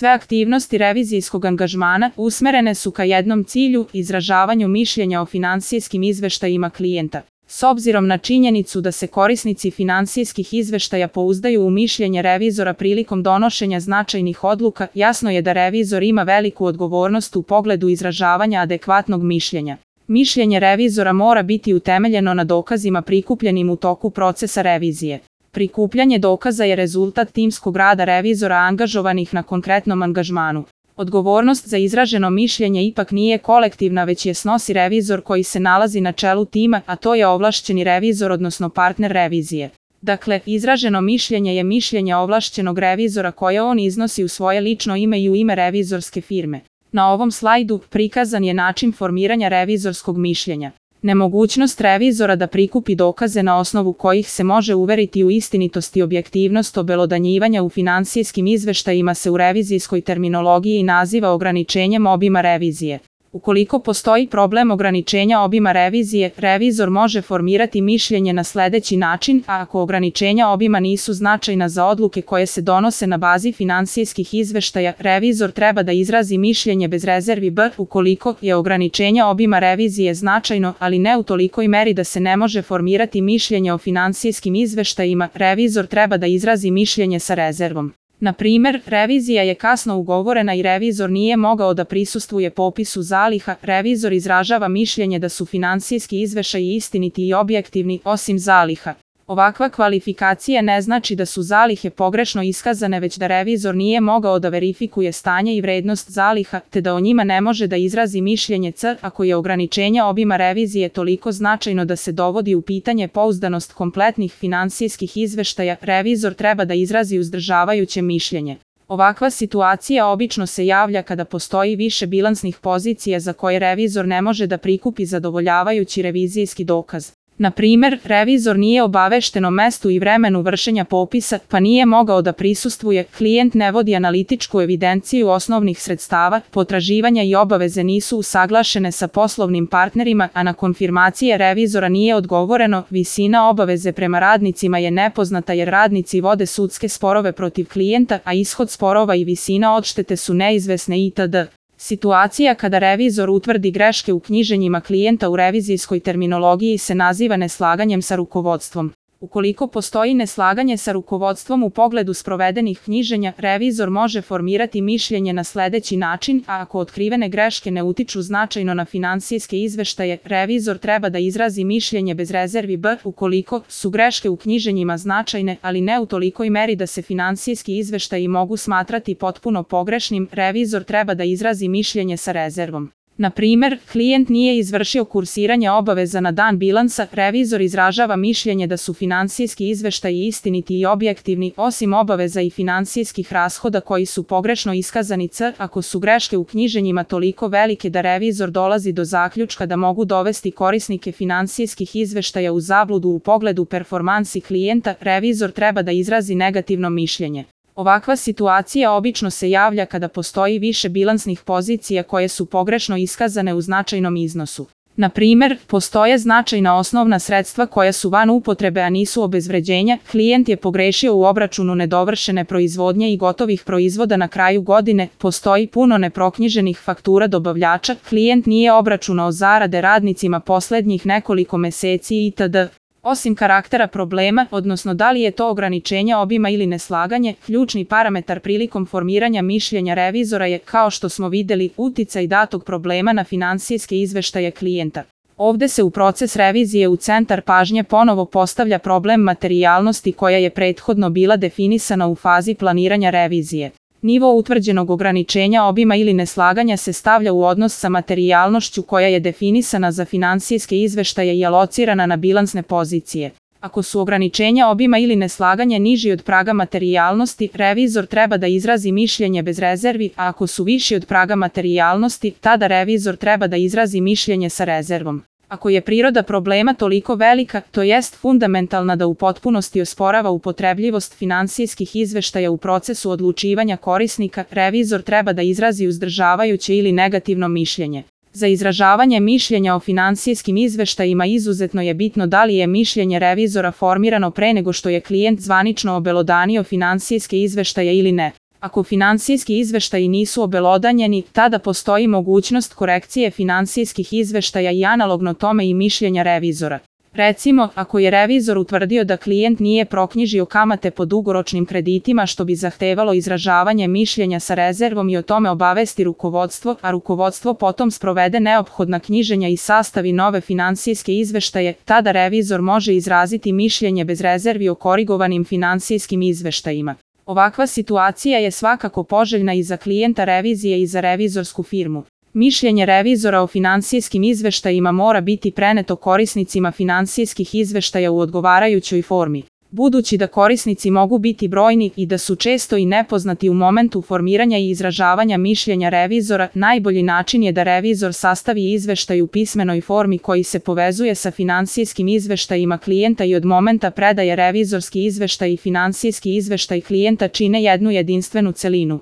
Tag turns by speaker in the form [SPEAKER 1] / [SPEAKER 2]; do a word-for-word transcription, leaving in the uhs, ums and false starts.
[SPEAKER 1] Sve aktivnosti revizijskog angažmana usmerene su ka jednom cilju, izražavanju mišljenja o finansijskim izveštajima klijenta. S obzirom na činjenicu da se korisnici finansijskih izveštaja pouzdaju u mišljenje revizora prilikom donošenja značajnih odluka, jasno je da revizor ima veliku odgovornost u pogledu izražavanja adekvatnog mišljenja. Mišljenje revizora mora biti utemeljeno na dokazima prikupljenim u toku procesa revizije. Prikupljanje dokaza je rezultat timskog rada revizora angažovanih na konkretnom angažmanu. Odgovornost za izraženo mišljenje ipak nije kolektivna, već je snosi revizor koji se nalazi na čelu tima, a to je ovlašćeni revizor odnosno partner revizije. Dakle, izraženo mišljenje je mišljenje ovlašćenog revizora koje on iznosi u svoje lično ime i u ime revizorske firme. Na ovom slajdu prikazan je način formiranja revizorskog mišljenja. Nemogućnost revizora da prikupi dokaze na osnovu kojih se može uveriti u istinitost i objektivnost obelodanjivanja u finansijskim izveštajima se u revizijskoj terminologiji naziva ograničenjem obima revizije. Ukoliko postoji problem ograničenja obima revizije, revizor može formirati mišljenje na sledeći način, a ako ograničenja obima nisu značajna za odluke koje se donose na bazi finansijskih izveštaja, revizor treba da izrazi mišljenje bez rezervi B. Ukoliko je ograničenje obima revizije značajno, ali ne u tolikoj meri da se ne može formirati mišljenje o finansijskim izveštajima, revizor treba da izrazi mišljenje sa rezervom. Na primer, revizija je kasno ugovorena i revizor nije mogao da prisustvuje popisu zaliha, revizor izražava mišljenje da su finansijski izveštaji istiniti i objektivni, osim zaliha. Ovakva kvalifikacija ne znači da su zalihe pogrešno iskazane, već da revizor nije mogao da verifikuje stanje i vrednost zaliha, te da o njima ne može da izrazi mišljenje C. Ako je ograničenje obima revizije toliko značajno da se dovodi u pitanje pouzdanost kompletnih finansijskih izveštaja, revizor treba da izrazi uzdržavajuće mišljenje. Ovakva situacija obično se javlja kada postoji više bilansnih pozicija za koje revizor ne može da prikupi zadovoljavajući revizijski dokaz. Na primer, revizor nije obavešten o mestu i vremenu vršenja popisa, pa nije mogao da prisustvuje, klijent ne vodi analitičku evidenciju osnovnih sredstava, potraživanja i obaveze nisu usaglašene sa poslovnim partnerima, a na konfirmacije revizora nije odgovoreno, visina obaveze prema radnicima je nepoznata jer radnici vode sudske sporove protiv klijenta, a ishod sporova i visina odštete su neizvesne itd. Situacija kada revizor utvrdi greške u knjiženjima klijenta u revizijskoj terminologiji se naziva neslaganjem sa rukovodstvom. Ukoliko postoji neslaganje sa rukovodstvom u pogledu sprovedenih knjiženja, revizor može formirati mišljenje na sledeći način, a ako otkrivene greške ne utiču značajno na finansijske izveštaje, revizor treba da izrazi mišljenje bez rezervi B. Ukoliko su greške u knjiženjima značajne, ali ne u tolikoj meri da se finansijski izveštaji mogu smatrati potpuno pogrešnim, revizor treba da izrazi mišljenje sa rezervom. Na primer, klijent nije izvršio kursiranje obaveza na dan bilansa, revizor izražava mišljenje da su finansijski izveštaji istiniti i objektivni, osim obaveza i finansijskih rashoda koji su pogrešno iskazani C. Ako su greške u knjiženjima toliko velike da revizor dolazi do zaključka da mogu dovesti korisnike finansijskih izveštaja u zabludu u pogledu performansi klijenta, revizor treba da izrazi negativno mišljenje. Ovakva situacija obično se javlja kada postoji više bilansnih pozicija koje su pogrešno iskazane u značajnom iznosu. Na primer, postoje značajna osnovna sredstva koja su van upotrebe a nisu obezvređenja, klijent je pogrešio u obračunu nedovršene proizvodnje i gotovih proizvoda na kraju godine, postoji puno neproknjiženih faktura dobavljača, klijent nije obračunao zarade radnicima poslednjih nekoliko meseci itd. Osim karaktera problema, odnosno da li je to ograničenje obima ili neslaganje, ključni parametar prilikom formiranja mišljenja revizora je, kao što smo videli, uticaj datog problema na finansijske izveštaje klijenta. Ovde se u proces revizije u centar pažnje ponovo postavlja problem materijalnosti koja je prethodno bila definisana u fazi planiranja revizije. Nivo utvrđenog ograničenja obima ili neslaganja se stavlja u odnos sa materijalnošću koja je definisana za finansijske izveštaje i alocirana na bilansne pozicije. Ako su ograničenja obima ili neslaganje niži od praga materijalnosti, revizor treba da izrazi mišljenje bez rezervi, a ako su viši od praga materijalnosti, tada revizor treba da izrazi mišljenje sa rezervom. Ako je priroda problema toliko velika, to jest fundamentalna da u potpunosti osporava upotrebljivost finansijskih izveštaja u procesu odlučivanja korisnika, revizor treba da izrazi uzdržavajuće ili negativno mišljenje. Za izražavanje mišljenja o finansijskim izveštajima izuzetno je bitno da li je mišljenje revizora formirano pre nego što je klijent zvanično obelodanio finansijske izveštaje ili ne. Ako finansijski izveštaji nisu obelodanjeni, tada postoji mogućnost korekcije finansijskih izveštaja i analogno tome i mišljenja revizora. Recimo, ako je revizor utvrdio da klijent nije proknjižio kamate po dugoročnim kreditima što bi zahtevalo izražavanje mišljenja sa rezervom i o tome obavesti rukovodstvo, a rukovodstvo potom sprovede neophodna knjiženja i sastavi nove finansijske izveštaje, tada revizor može izraziti mišljenje bez rezervi o korigovanim finansijskim izveštajima. Ovakva situacija je svakako poželjna i za klijenta revizije i za revizorsku firmu. Mišljenje revizora o finansijskim izveštajima mora biti preneto korisnicima finansijskih izveštaja u odgovarajućoj formi. Budući da korisnici mogu biti brojni i da su često i nepoznati u momentu formiranja i izražavanja mišljenja revizora, najbolji način je da revizor sastavi izveštaj u pismenoj formi koji se povezuje sa finansijskim izveštajima klijenta i od momenta predaje revizorski izveštaj i finansijski izveštaj klijenta čine jednu jedinstvenu celinu.